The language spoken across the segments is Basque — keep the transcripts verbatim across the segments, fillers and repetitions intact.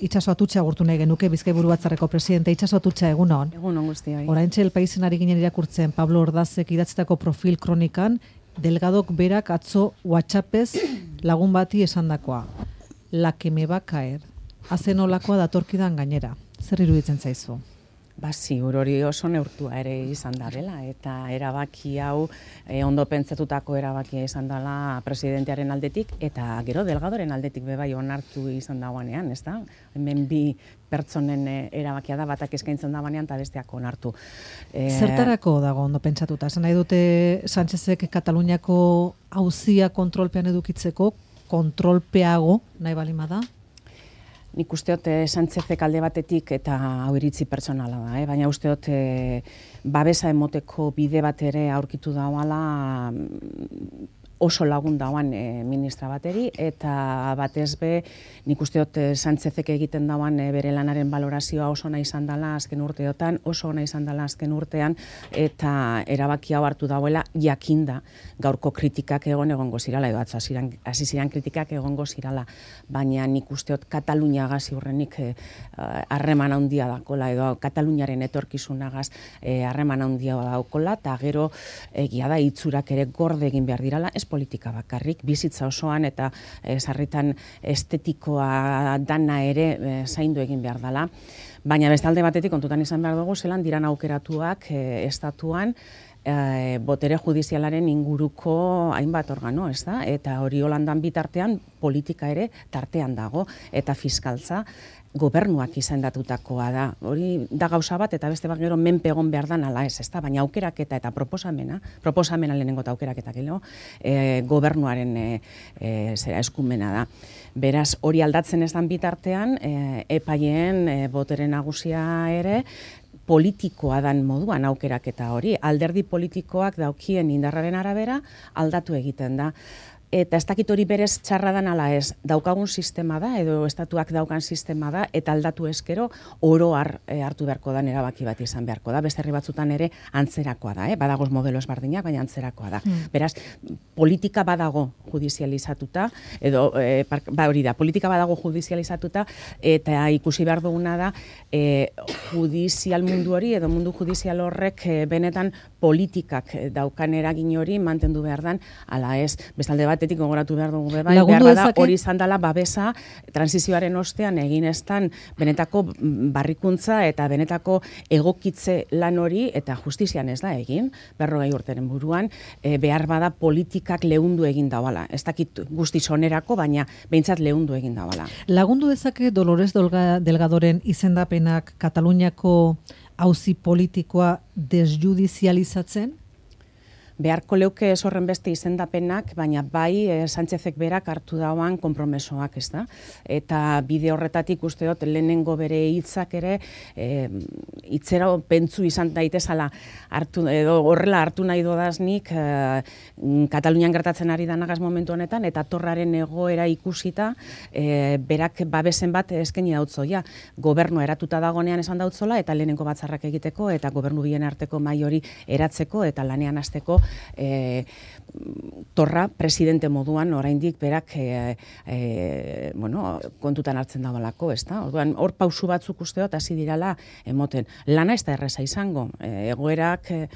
Itxaso Atutxa agurtu nahi genuke, Bizkaiburu Batzarreko presidente. Itxaso Atutxa, egunon. Egunon guztioi. Oraintxe El Paisen ari ginen irakurtzen Pablo Ordazek idatzitako profil kronikan, Delgadok berak atzo WhatsAppez lagun bati esandakoa. La que me va a caer. Hazen olakoa datorkidan gainera. Zer iruditzen zaizu? Ba, ziur hori oso neurtua ere izan da dela, eta erabaki hau e, ondo pentsatutako erabakia izan dela presidentearen aldetik, eta gero Delgadoren aldetik bebai onartu izan dagoanean, ez da? Hemen bi pertsonen erabakia da, batak eskaintzen dagoanean, eta besteak onartu. E... Zertarako dago ondo pentsatuta? Esan nahi dute Sánchezek Kataluniako auzia kontrolpean edukitzeko, kontrolpeago nahi balima da? Nik usteot eh, Sánchezek alde batetik eta hau iritzi pertsonala da, eh? Baina usteot eh, babesa emoteko bide bat ere aurkitu dauala oso lagun dauan e, ministra bateri, eta batez be, nik usteot e, Sánchezek egiten dauan e, bere lanaren balorazioa oso ona izan dela azken urteotan, oso ona izan dela azken urtean, eta erabaki hau hartu dauela jakinda gaurko kritikak egon egongo zirala, edo atzo hasi ziren kritikak egongo zirala, baina nik usteot Kataluniagaz ziurrenik harreman e, handia dakola, edo Kataluniaren etorkizunagaz harreman e, handia daukola, eta gero egia da itzurak ere gorde egin behar dirala, ez politika bakarrik, bizitza osoan eta e, sarritan estetikoa dana ere e, zaindu egin behar dela. Baina bestalde batetik kontutan izan behar dugu, zelan diran aukeratuak e, estatuan, e, botere judizialaren inguruko hainbat organo, ez da? Eta hori Holandan bitartean politika ere tartean dago, eta fiskaltza gobernuak izendatutakoa da. Hori da gauza bat, eta beste bat gero menpe egon behar dan ala ez, ezta? Baina aukeraketa eta proposamena, proposamena lehenengo eta aukeraketa gero, e, gobernuaren e, e, zera eskumena da. Beraz, hori aldatzen ez dan bitartean, e, epaien e, botere nagusia ere, politikoa dan moduan aukeraketa hori. Alderdi politikoak daukien indarraren arabera aldatu egiten da. Eta ez dakit hori berez txarra dan ala ez, daukagun sistema da, edo estatuak daukan sistema da, eta aldatu eskero oro har, e, hartu beharko da, erabaki bat izan beharko da. Beste herri batzutan ere antzerakoa da, eh? Badagoz modelo ezberdinak, baina antzerakoa da. Mm. Beraz, politika badago judizializatuta, edo, e, ba hori da, politika badago judizializatuta, eta ikusi behar duguna da, e, judizial mundu hori, edo mundu judizial horrek e, benetan politikak daukan eragin hori mantendu behar dan, ala ez, bestalde bat, batetik gogoratu behar dugu bai, behar da hori izan dela babesa transizioaren ostean egin estan benetako barrikuntza eta benetako egokitze lan hori eta justizian ez da egin, berrogei urteren buruan, e, behar bada politikak leundu egin dauala. Ez dakit guztiz onerako, baina behintzat leundu egin dauala. Lagundu dezake Dolores Delgadoren izendapenak Kataluniako auzi politikoa desjudizializatzen? Beharko leuke ez horren beste izendapenak, baina bai e, Sánchezek berak hartu dauan konpromesoak, ez da? Eta bide horretatik uste dut lehenengo bere hitzak ere e, hitzera pentsu izan daitezala hartu, edo horrela hartu nahi dodaznik e, Katalunian gertatzen ari danagaz momentu honetan, eta torraren egoera ikusita e, berak babesen bat eskaini dautzoia. Gobernua eratuta dagonean esan dautzola, eta lehenengo batzarrak egiteko, eta gobernu bien arteko mahai hori eratzeko, eta lanean hasteko E, torra presidente moduan oraindik berak e, e, bueno, kontutan hartzen dagoelako, ez da? Orduan, hor pausu batzuk usteot hasi dirala emoten. Lana ez da erreza izango. E, egoerak e,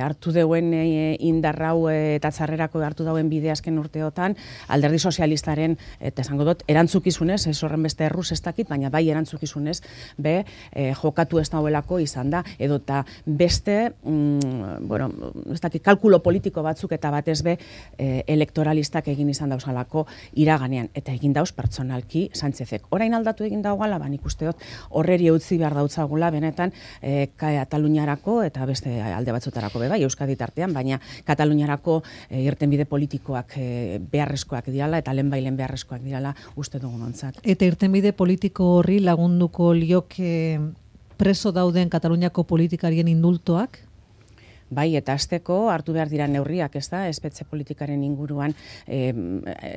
hartu deuen e, indarrau e, eta txarrerako hartu dauen bide azken urteotan, alderdi sozialistaren, eta esango dut, erantzukizunez, ez horren beste erruz ez dakit, baina bai erantzukizunez, be, e, jokatu ez dauelako izan da, edo eta beste, mm, bueno, ez dakit, kalkulo politiko batzuk eta batez be e, elektoralistak egin izan dauzalako iraganean, eta egin dauz pertsonalki Sánchezek. Orain aldatu egin daugala, ba, nik usteot horreri utzi behar dautzagula benetan e, Kataluniarako eta beste alde batzutarako be bai, Euskadi tartean, baina Kataluniarako e, irtenbide politikoak e, beharrezkoak dirala eta lehenbailen beharrezkoak dirala uste dugun ontzat. Eta irtenbide politiko horri lagunduko lioke preso dauden Kataluniako politikarien indultoak? Bai, eta hasteko hartu behar dira neurriak, ez da, espetxe politikaren inguruan e,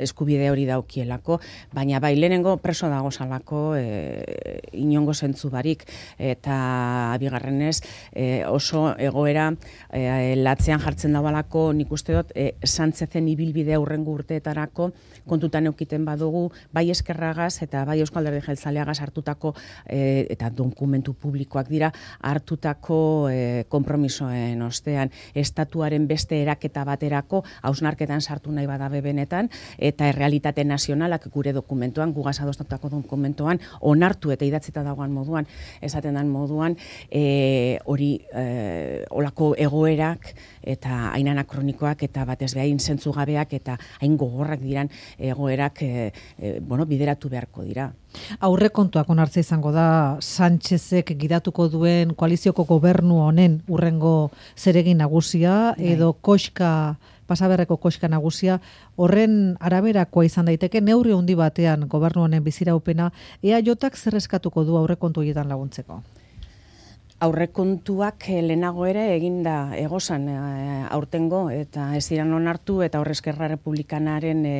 eskubide hori daukielako, baina bai, lehenengo preso dago salako e, inongo zentzu barik, eta bigarrenez e, oso egoera e, latzean jartzen daualako, nik uste dut, e, Sánchezen ibilbide aurrengo urteetarako kontutan eukiten badugu, bai Eskerragaz eta bai Eusko Alderdi Jeltzaleagaz hartutako e, eta dokumentu publikoak dira hartutako e, konpromisoen ostean, estatuaren beste eraketa baterako hausnarketan sartu nahi badabe benetan, eta errealitate nazionalak gure dokumentuan, gugaz adostatutako dokumentuan, onartu eta idatzita dagoan moduan, esaten dan moduan, e, hori e, olako egoerak eta hain anakronikoak eta batez behain zentzugabeak eta hain gogorrak diran egoerak e, e, bueno, bideratu beharko dira. Aurrekontuak onartzea izango da Sánchezek gidatuko duen koalizioko gobernu honen urrengo zeregin nagusia edo koxka, pasaberreko koxka nagusia, horren araberakoa izan daiteke neurri handi batean gobernu honen biziraupena, E A Jk zer eskatuko du aurrekontu horietan laguntzeko? Aurrekontuak lehenago ere eginda egozan e, aurtengo eta ez ziren onartu eta hor Eskerra Republikanaren e,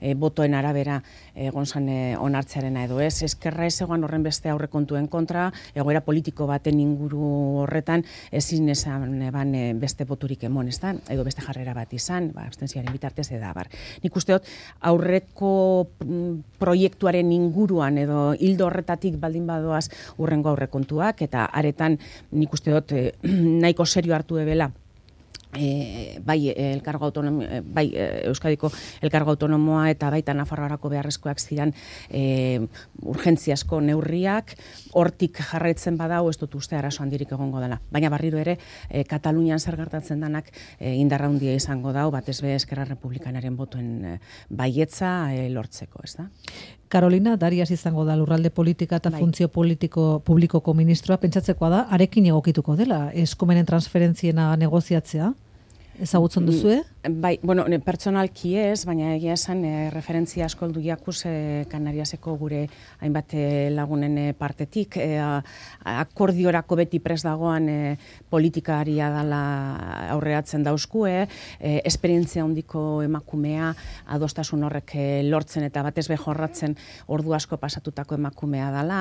e, botoen arabera egon zan e, onartzearena edo ez. Eskerra ez egoan horren beste aurrekontuen kontra, egoera politiko baten inguru horretan ezin esan eban e, beste boturik emon ez da, edo beste jarrera bat izan, ba, abstentzioaren bitartez eda bar. Nik uste dut aurreko proiektuaren inguruan edo hildo horretatik baldin badoaz urrengo aurrekontuak eta aretan nik uste dut eh, nahiko serio hartu ebela E, bai elkargo autonomo, bai Euskadiko elkargo autonomoa eta baita Nafarroarako beharrezkoak ziren e, urgentziazko neurriak, hortik jarraitzen badau ez dut uste arazo handirik egongo dela. Baina barriro ere e, Katalunian zer gertatzen danak e, indarra handia izango dau, batez be Eskerra Republikanaren botoen e, baietza e, lortzeko, ez da? Carolina Darias izango da lurralde politika eta bai. funtzio politiko publikoko ministroa, pentsatzekoa da, arekin egokituko dela, eskumenen transferentziena negoziatzea? Ezagutzen duzue? Bai, bueno, pertsonalki ez, baina egia esan e, referentzia asko heldu jakuz e, Kanariaseko gure hainbat e, lagunen e, partetik. E, akordiorako beti pres dagoan e, politikaria dela aurreatzen dauzkue, e, esperientzia handiko emakumea, adostasun horrek e, lortzen eta batez be jorratzen ordu asko pasatutako emakumea dela.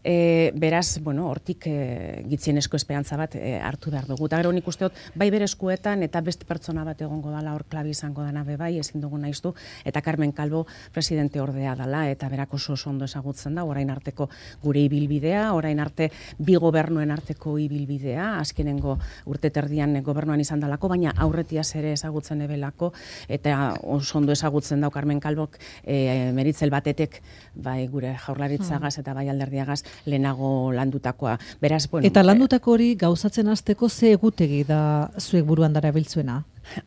E, beraz, bueno, hortik e, gitzienezko esperantza bat e, hartu behar dugu. Eta gero nik uste dut, bai bere eskuetan eta beste pertsona bat egongo dela hor klabi izango dana bebai, ezin dugu naiztu, eta Carmen Calvo presidente ordea dela, eta berak oso oso ondo ezagutzen da, orain arteko gure ibilbidea, orain arte bi gobernuen arteko ibilbidea, azkenengo urte terdian gobernuan izan dalako, baina aurretiaz ere ezagutzen ebelako, eta oso ondo ezagutzen dau Carmen Calvok e, meritzel batetek, bai gure jaurlaritzagaz eta bai alderdiagaz lehenago landutakoa. Beraz, bueno, eta landutako hori gauzatzen hasteko ze egutegi da zuek buruan darabiltzuena?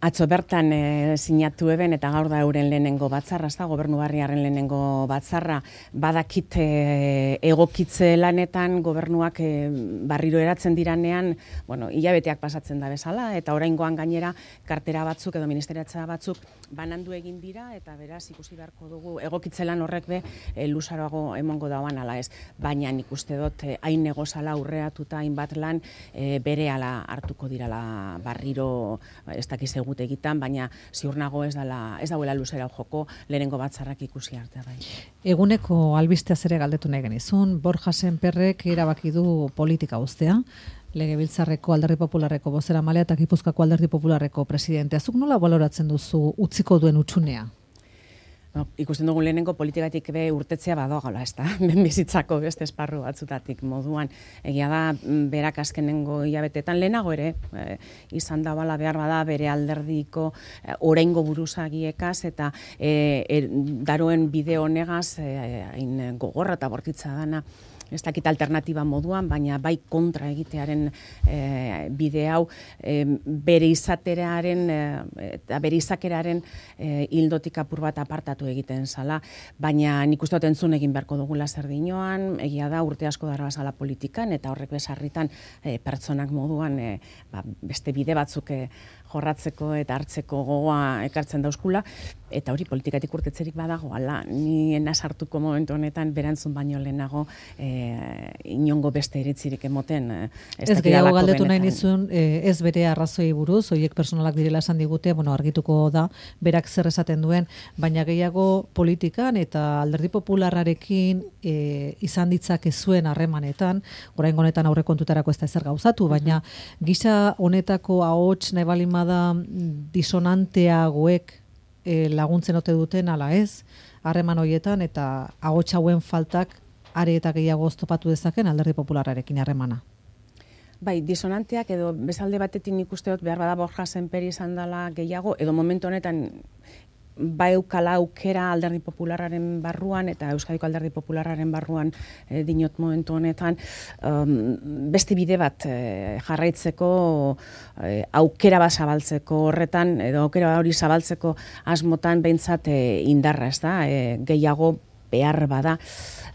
Atzo bertan e, sinatu eben eta gaur da euren lehenengo batzarra, ez da, gobernu barriaren lehenengo batzarra, badakit e, egokitze lanetan gobernuak e, barriro eratzen diranean, bueno, hilabeteak pasatzen da bezala, eta oraingoan gainera kartera batzuk edo ministeriatza batzuk banandu egin dira, eta beraz ikusi beharko dugu egokitze lan horrek be e, luzaroago emongo dauan ala ez, baina nik uste dut e, hain negozala aurreatuta hainbat lan e, bere ala hartuko dirala barriro, ez dakiz egut egitan, baina ziur nago ez dela, ez dauela luzera joko lehenengo batzarrak ikusi arte bai. Eguneko albisteaz ere galdetu nahi genizun, Borja Sémperrek erabaki du politika uztea, Legebiltzarreko Alderdi Popularreko bozeramaileak eta Gipuzkoako Alderdi Popularreko presidentea. Zuk nola baloratzen duzu utziko duen utxunea? No, ikusten dugu lehenengo politikatik be urtetzea badoagala, ez da, bizitzako beste esparru batzutatik moduan. Egia da, berak azkenengo hilabetetan lehenago ere, e, izan da bala behar bada bere alderdiko e, oraingo buruzagiekaz eta e, e, daroen bide honegaz hain e, gogorra eta bortitza dana, ez dakit alternatiba moduan, baina bai kontra egitearen e, bide hau e, bere izateraren eta e, bere izakeraren e, hildotik apur bat apartatu egiten zala, baina nik uste dut entzun egin beharko dugula zer dinoan, egia da urte asko dara bazala politikan, eta horrek besarritan e, pertsonak moduan e, ba, beste bide batzuk e, jorratzeko eta hartzeko gogoa ekartzen dauzkula, Eta hori politikatik urtetzerik badago, ala, ni enazartuko momentu honetan berantzun baino lehenago e, inongo beste iritzirik emoten. E, ez ez gehiago galdetu nahi nizun, e, ez bere arrazoi buruz, horiek personalak direla esan digute, bueno, argituko da, berak zer esaten duen, baina gehiago politikan eta Alderdi Popularrarekin e, izan ditzake zuen harremanetan, oraingo honetan aurrekontutarako ez da ezer gauzatu, baina gisa honetako ahots nahi balin bada disonanteagoek E, laguntzen ote duten ala ez, harreman horietan eta ahots hauen faltak are eta gehiago oztopatu dezaken Alderdi Popularrarekin harremana. Bai, disonanteak edo bezalde batetik nik uste dut behar bada Borja Sémper izan dela gehiago, edo momentu honetan ba eukala aukera Alderdi Popularraren barruan eta Euskadiko Alderdi Popularraren barruan e, dinot momentu honetan um, beste bide bat e, jarraitzeko e, aukera bat zabaltzeko horretan edo aukera hori zabaltzeko asmotan behintzat e, indarra, ez da, e, gehiago behar bada,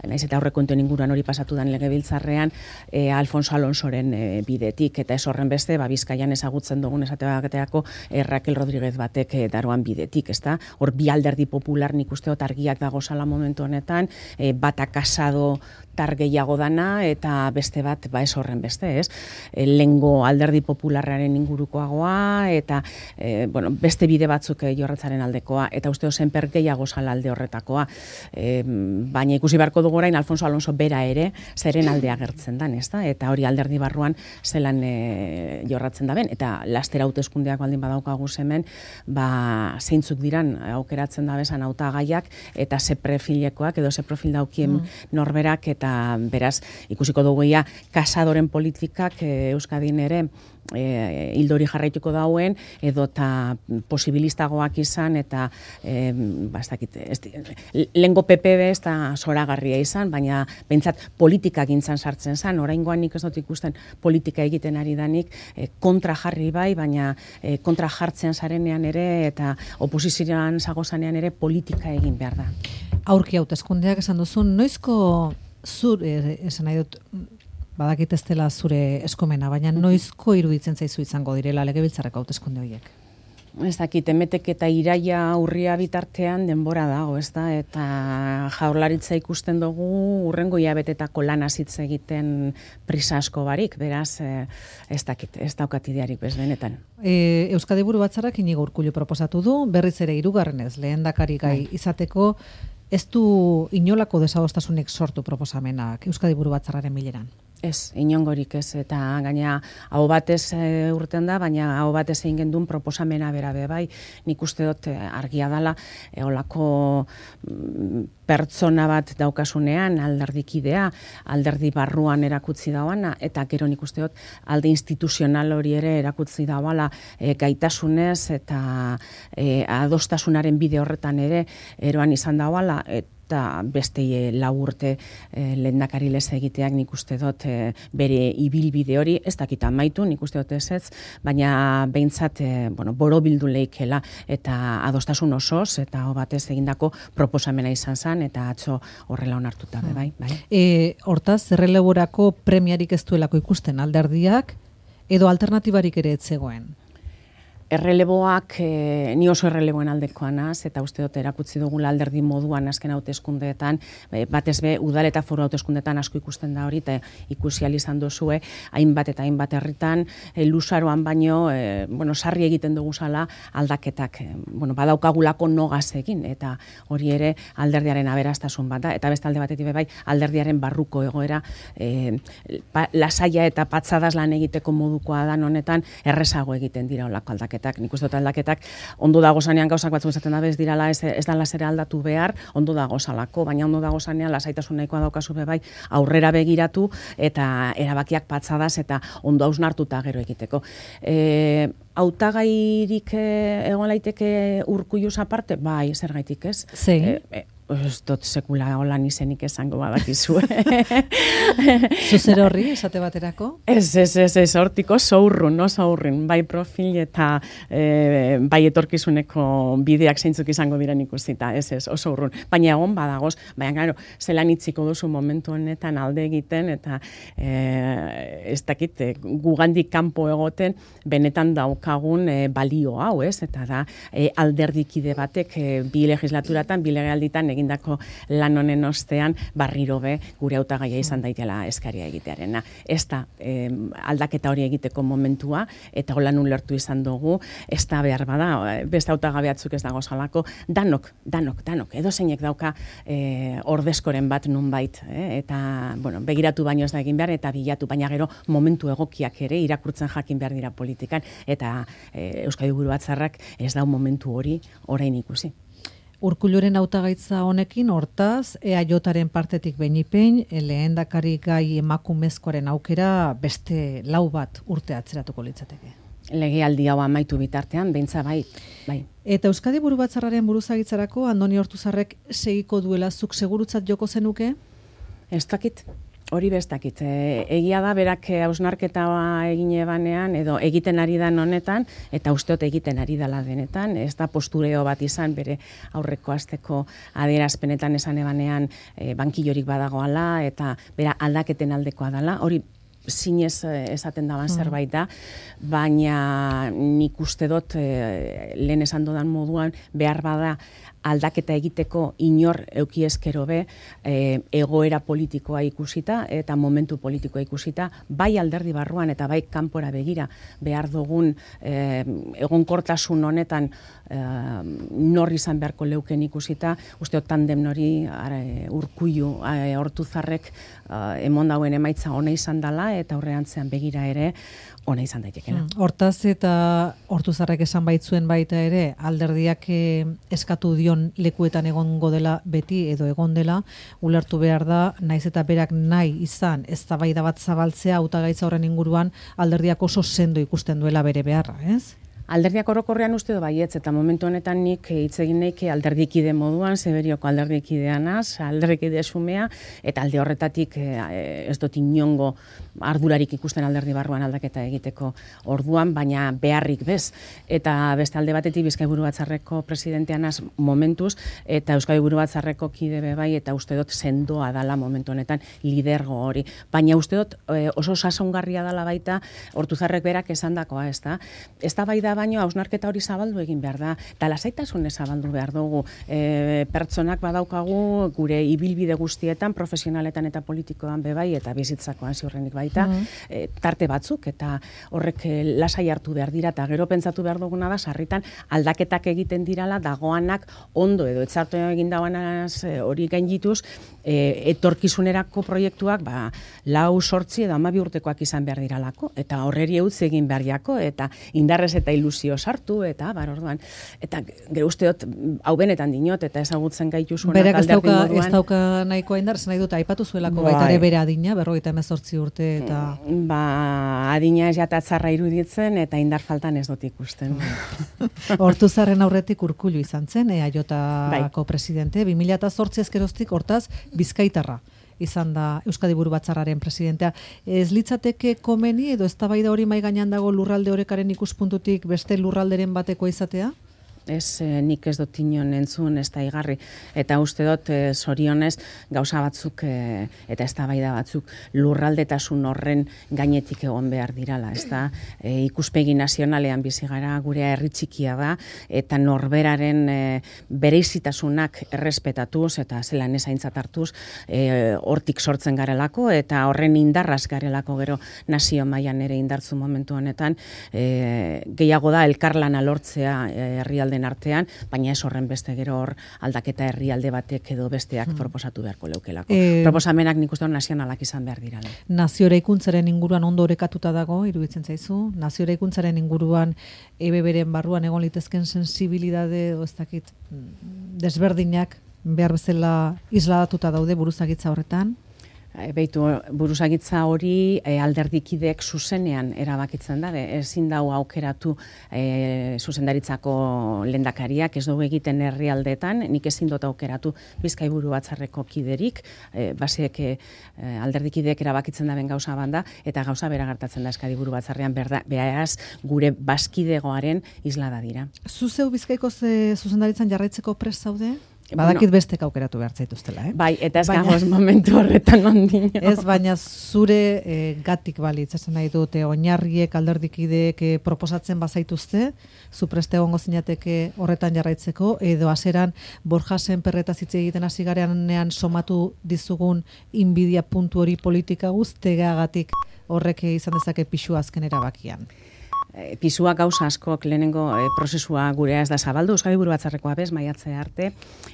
naiz eta aurrekontuen inguruan hori pasatu dan legebiltzarrean, e, Alfonso Alonsoren e, bidetik, eta ez horren beste, ba, Bizkaian ezagutzen dugun esate bateako e, Raquel Rodríguez batek e, daroan bidetik, ezta? Hor bi Alderdi Popular nik uste dut argiak dago zala momentu honetan, e, bata kasado tar gehiago dana, eta beste bat, ba ez horren beste, ez? E, lengo Alderdi Popularraren ingurukoagoa, eta e, bueno, beste bide batzuk e, jorratzaren aldekoa, eta uste Sémper gehiago zala alde horretakoa. E, baina ikusi beharko dugu orain Alfonso Alonso bera ere zeren alde agertzen dan, ezta? Eta hori alderdi barruan zelan e, jorratzen da ben, eta lastera hauteskundeak baldin badaukagu hemen, ba zeintzuk diran aukeratzen da bezan hautagaiak eta ze profilekoak edo ze profil daukien mm. norberak, eta beraz ikusiko dugu ia kasadoren politikak e, Euskadin ere E, hildori jarraituko dauen edo eta posibilistagoak izan eta e, ba, ez dakit, ez, lengo P P B ez da zoragarria izan, baina behintzat politika gintzan sartzen zan, oraingoan nik ez dut ikusten politika egiten ari danik e, kontra jarri bai, baina e, kontra jartzen zarenean ere eta oposizioan zagozanean ere politika egin behar da. Aurki hauteskundeak esan duzun, noizko zur, e, esan nahi dut, badakit ez dela zure eskumena, baina noizko iruditzen zaizu izango direla legebiltzarreko hauteskunde horiek? Ez dakit, emetek eta iraia urria bitartean denbora dago, ez da, eta Jaurlaritza ikusten dugu urrengo hilabetetako lan hitz egiten prisa asko barik, beraz, ez dakit, ez daukat idearik bez benetan. E, Euskadi Buru Batzarrak Inigo Urkullu proposatu du, berriz ere hirugarrenez lehendakari gai izateko, ez du inolako desagostasunik sortu proposamenak Euskadi Buru Batzarraren bileran? Ez, inongorik ez, eta gaina hau batez e, urten da, baina hau batez egin gendun proposamena bera be bai, nik uste dut e, argia dala, e, olako mm, pertsona bat daukasunean, alderdikidea, alderdi barruan erakutzi dauana, eta gero nik uste dut alde instituzional hori ere erakutzi dauala e, gaitasunez, eta e, adostasunaren bide horretan ere eroan izan dauala, eta eta beste lau urte e, lehendakari lez egiteak nik uste dut e, bere ibilbide hori, ez dakit amaitu, nik uste dut ez ez, baina behintzat e, bueno, borobildu leikela eta adostasun osoz, eta hau batez egindako proposamena izan zen, eta atzo horrela onartuta be, bai. bai. E, hortaz, erreleborako premiarik ez duelako ikusten alderdiak, edo alternatibarik ere ez zegoen? Erreleboak, e, ni oso erreleboen aldekoan az, eta uste dut erakutzi dugula alderdi moduan azken hauteskundeetan, e, batez be, udal eta foru hauteskundeetan asko ikusten da hori, eta ikusi ahal izan duzue, hainbat eta hainbat herritan, e, luzaroan baino, e, bueno, sarri egiten dugu zala aldaketak, e, bueno, badaukagulako nogaz egin, eta hori ere alderdiaren aberastasun bat da, eta beste alde batetik bai, alderdiaren barruko egoera, e, pa, lasaia eta patzadas lan egiteko modukoa da honetan, errezago egiten dira olako aldaketak. Nik uste dut aldaketak ondo dago zanean gauzak batzuk esaten da ez dirala, ez, ez da lasera aldatu behar, ondo dago zalako, baina ondo dago zanean lasaitasun nahikoa daukazu be bai aurrera begiratu eta erabakiak patzadas eta ondo hausnartuta gero egiteko. E, hautagairik egon laiteke Urkulluz aparte? Bai, zergaitik ez? Zein? E, e, ez dut sekula holan izenik esango badakizu. Zuzer horri, esate baterako? Ez, ez, ez, ez, hortiko zaurrun, no zaurrin, bai profil eta e, bai etorkizuneko bideak zeintzuk izango diren ikusita, ez, ez, oso urrun. Baina egon badagoz, baina gero, zelan itziko duzu momentu honetan alde egiten, eta e, ez dakit, e, gugandik kanpo egoten, benetan daukagun e, balio hau, ez, eta da, e, alderdikide batek e, bi legislaturatan, bi legealditan egindako lan honen ostean, barriro be, gure hautagaia izan daitela eskaria egitearena. Ez da, e, aldaketa hori egiteko momentua, eta holan ulertu izan dugu, ez da behar bada, beste hautagabeatzuk ez dago salako, danok, danok, danok, edo zeinek dauka e, ordezkoren bat nunbait, eh? Eta, bueno, begiratu baino ez da egin behar, eta bilatu, baina gero momentu egokiak ere irakurtzen jakin behar dira politikan, eta e, Euskadi Buru Batzarrak ez dau momentu hori orain ikusi. Urkulluren hautagaitza honekin, hortaz, E A Jaren partetik beinipein, lehendakari gai emakumezkoaren aukera beste lau bat urte atzeratuko litzateke. Legealdi hau amaitu bitartean, beintza bai, bai. Eta Euskadi Buru Batzarraren buruzagitzarako Andoni Ortuzarrek segiko duela zuk segurutzat joko zenuke? Ez dakit. Hori bestakit. E, egia da, berak hausnarketa egin ebanean, edo egiten ari dan honetan, eta usteot egiten ari dela denetan, ez da postureo bat izan, bere aurreko asteko adierazpenetan esan ebanean e, bankillorik badagoala, eta bera aldaketen aldekoa dela, hori zinez esaten daban zerbait da, baina nik uste dut e, lehen esan dodan moduan behar bada aldaketa egiteko inor eukiezkero be e, egoera politikoa ikusita eta momentu politikoa ikusita, bai alderdi barruan eta bai kanpora begira behar dugun e, egonkortasun honetan e, nor izan beharko leuken ikusita, uste dut tandem nori e, Urkullu e, Ortuzarrek e, emon dauen emaitza ona izan dela eta aurreantzean begira ere ona izan daitekela. Hortaz eta Ortuzarrek esan baitzuen baita ere, alderdiak eh, eskatu dion lekuetan egongo dela beti edo egon dela, ulertu behar da, naiz eta berak nahi izan eztabaida bat zabaltzea hautagaitza horren inguruan, alderdiak oso sendo ikusten duela bere beharra, ez? Alderdiak orokorrean uste du baietz, eta momentu honetan nik hitz egin nahi alderdikide moduan, Zeberioko alderdikideanaz, alderdikide sumea, eta alde horretatik eh, ez dut inongo ardurarik ikusten alderdi barruan aldaketa egiteko orduan, baina beharrik bez. Eta beste alde batetik Bizkai Buru Batzarreko presidenteanaz momentuz, eta Euskadi Buru Batzarreko kide be bai, eta uste dut sendoa dala momentu honetan lidergo hori. Baina uste dut eh, oso sasoungarria dala baita Ortuzarrek berak esandakoa, ez da? Ez da bai da baino hausnarketa hori zabaldu egin behar da, eta lasaitasunez zabaldu behar dugu. E, pertsonak badaukagu gure ibilbide guztietan, profesionaletan eta politikoan bebai, eta bizitzakoan ziurrenik baita, mm -hmm. e, tarte batzuk, eta horrek e, lasai hartu behar dira, eta gero pentsatu behar duguna da, sarritan aldaketak egiten dirala, dagoanak ondo edo etzartu egin dauanaz e, hori gaindituz, e, etorkizunerako proiektuak, ba, lau sortzi edo hamabi urtekoak izan behar diralako, eta horreri eutz egin behar jako, eta indarrez eta ilusio sartu, eta bar orduan, eta gero usteot, hau benetan dinot, eta ezagutzen gaituzunak alderdi moduan. Berak ez dauka nahikoa indar, nahi dut, aipatu zuelako bai. Baita ere bere adina, berrogeita hemezortzi urte, eta... Ba, adina ez jatatzarra iruditzen, eta indar faltan ez dut ikusten. Ortuzarren aurretik Urkullu izan zen, E A Jko bai. Presidente, bi mila zortzi ezkeroztik, hortaz, Bizkaitarra izan da Euskadi Buru Batzarraren presidentea. Ez litzateke komeni edo eztabaida hori mai gainean dago lurralde orekaren ikuspuntutik beste lurralderen bateko izatea? Ez, eh, nik ez dut inon entzun, ez da igarri. Eta uste dut, eh, zorionez, gauza batzuk eh, eta eztabaida batzuk lurraldetasun horren gainetik egon behar dirala. Ez da, eh, ikuspegi nazionalean bizi gara, gure herri txikia da, eta norberaren eh, bereizitasunak errespetatuz, eta zelan ezaintzat hartuz, eh, hortik sortzen garelako, eta horren indarraz garelako gero nazio mailan ere indartzu momentu honetan, eh, gehiago da elkarlana lortzea eh, herrialde den artean, baina ez horren beste gero hor aldaketa herrialde batek edo besteak hmm. proposatu beharko leukelako. E, Proposamenak nik uste hor nazionalak izan behar dirala. Nazio eraikuntzaren inguruan ondo orekatuta dago, iruditzen zaizu? Nazio eraikuntzaren inguruan E B Bren barruan egon litezken sensibilidade edo ez dakit desberdinak behar bezala isladatuta daude buruzagitza horretan? Beitu, buruzagitza hori e, alderdikideek zuzenean erabakitzen da, ezin dau aukeratu e, zuzendaritzako lehendakariak, ez dugu egiten herrialdeetan, nik ezin dut aukeratu Bizkai buru batzarreko kiderik, e, basiek e, alderdikideek erabakitzen da ben gauza banda, eta gauza bera gertatzen da Eskadi buru batzarrean, berda, beraz gure baskidegoaren islada dira. Zuzeu Bizkaiko zuzendaritzan jarraitzeko prest zaude? Badakit bueno, bestek aukeratu behar zaituztela, eh? Bai, eta ez baina, gagoz momentu horretan ondino. Ez, baina zure e, gatik balitz, esan nahi dute, oinarriek, alderdikideek e, proposatzen bazaituzte, zu preste egongo zinateke horretan jarraitzeko, edo aseran Borja Sémperretaz hitz egiten hasi garenean somatu dizugun inbidia puntu hori politika guztegatik horrek izan dezake pisu azken erabakian. E, pisua gauza askok lehenengo e, prozesua gurea ez da zabaldu, Euskadi buru batzarrekoa bez, maiatzea arte,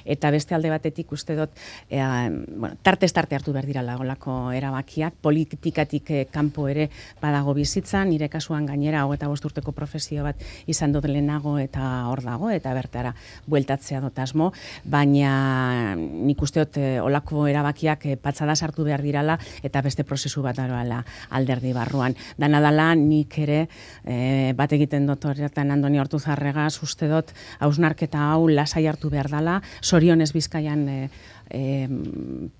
eta beste alde batetik uste dut, e, bueno, tartez tarte hartu behar dira lagolako erabakiak, politikatik e, kanpo ere badago bizitza, nire kasuan gainera hogeita bost urteko profesio bat izan dut lehenago eta hor dago, eta bertara bueltatzea dut asmo, baina nik uste dut e, olako erabakiak e, patxada sartu behar dirala, eta beste prozesu bat daroala alderdi barruan. Dana dala nik ere, e, bat egiten dut horretan Andoni Ortuzarregaz, uste dut hausnarketa hau lasai hartu behar dela, Zorionez Bizkaian e, e,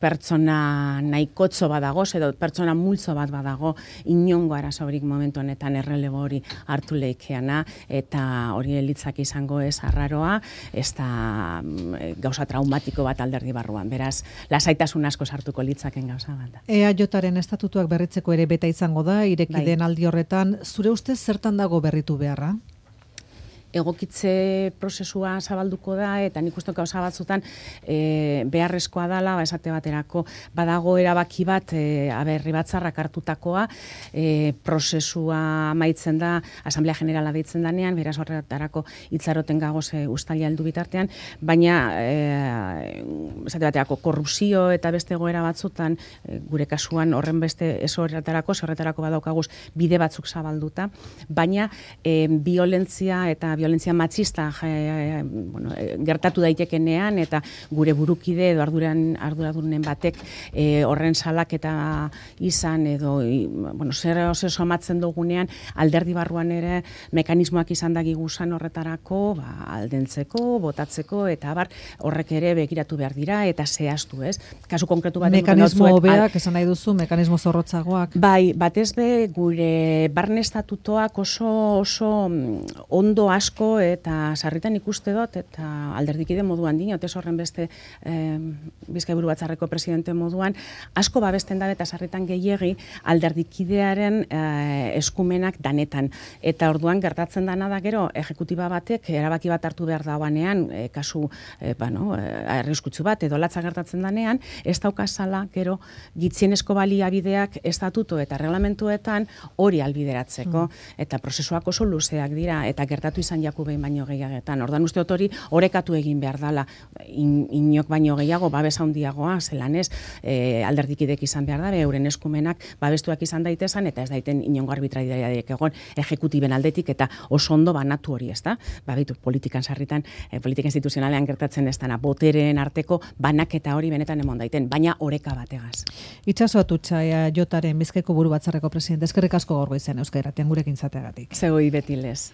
pertsona nahikotzo badago, edo pertsona multzo bat badago, inongo arazorik momentu honetan errelebo hori hartu leikeana, eta hori elitzak izango ez arraroa, ez da e, gauza traumatiko bat alderdi barruan, beraz, lasaitasun asko sartuko litzaken gauza bat. E A Jaren estatutuak berritzeko ere beta izango da, ireki bai. Den aldi horretan, zure ustez zertan dago berritu beharra? Egokitze prozesua zabalduko da, eta nik uste gauza batzutan e, beharrezkoa dela, ba, esate baterako badago erabaki bat, e, aberri batzarrak hartutakoa, e, prozesua amaitzen da, Asamblea Generala deitzen danean, beraz horretarako hitzaroten gagoz e, ustalia heldu bitartean, baina e, esate baterako korrupzio eta beste egoera batzutan, e, gure kasuan horren beste ez horretarako, horretarako badaukaguz bide batzuk zabalduta, baina e, violentzia eta violentzia matxista e, bueno, e, gertatu daitekenean, eta gure burukide edo arduran, arduradunen batek e, horren salak eta izan edo i, bueno, zer oso somatzen dugunean alderdi barruan ere mekanismoak izan da gigusan horretarako, ba, aldentzeko, botatzeko, eta bar horrek ere begiratu behar dira eta zehaztu, ez? Kasu konkretu bat mekanismo hobeak, esan nahi duzu, mekanismo zorrotzagoak. Bai, batez be gure barne estatutoak oso oso ondo asko eta sarritan ikuste dut, eta alderdikide moduan dinot, ez horren beste eh, Bizkai buru batzarreko presidente moduan, asko babesten da eta sarritan gehiegi alderdikidearen eh, eskumenak danetan. Eta orduan gertatzen dana da gero, ejekutiba batek erabaki bat hartu behar dauanean, eh, kasu eh, bueno, eh, arriskutsu bat, edo latza gertatzen danean, ez daukazala gero gitzienezko baliabideak estatuto eta reglamentuetan hori albideratzeko, mm. eta prozesuak oso luzeak dira, eta gertatu izan jaku behin baino gehiagetan. Ordan uste dut hori orekatu egin behar dala, In, inok baino gehiago, babes handiagoa, zelan ez, e, alderdikidek izan behar da, euren eskumenak babestuak izan daitezan, eta ez daiten inongo arbitrariarik egon ejekutiben aldetik, eta oso ondo banatu hori, ez da? Babitu, politikan sarritan, e, politika instituzionalean gertatzen ez dana, botereen arteko banaketa hori benetan emon daiten, baina oreka bategaz. Itxaso Atutxa, E A Jaren Bizkaiko buru batzarreko presidente, eskerrik asko gaur goizen Euskadi Irratian gurekin izateagatik. Zegoi beti lez.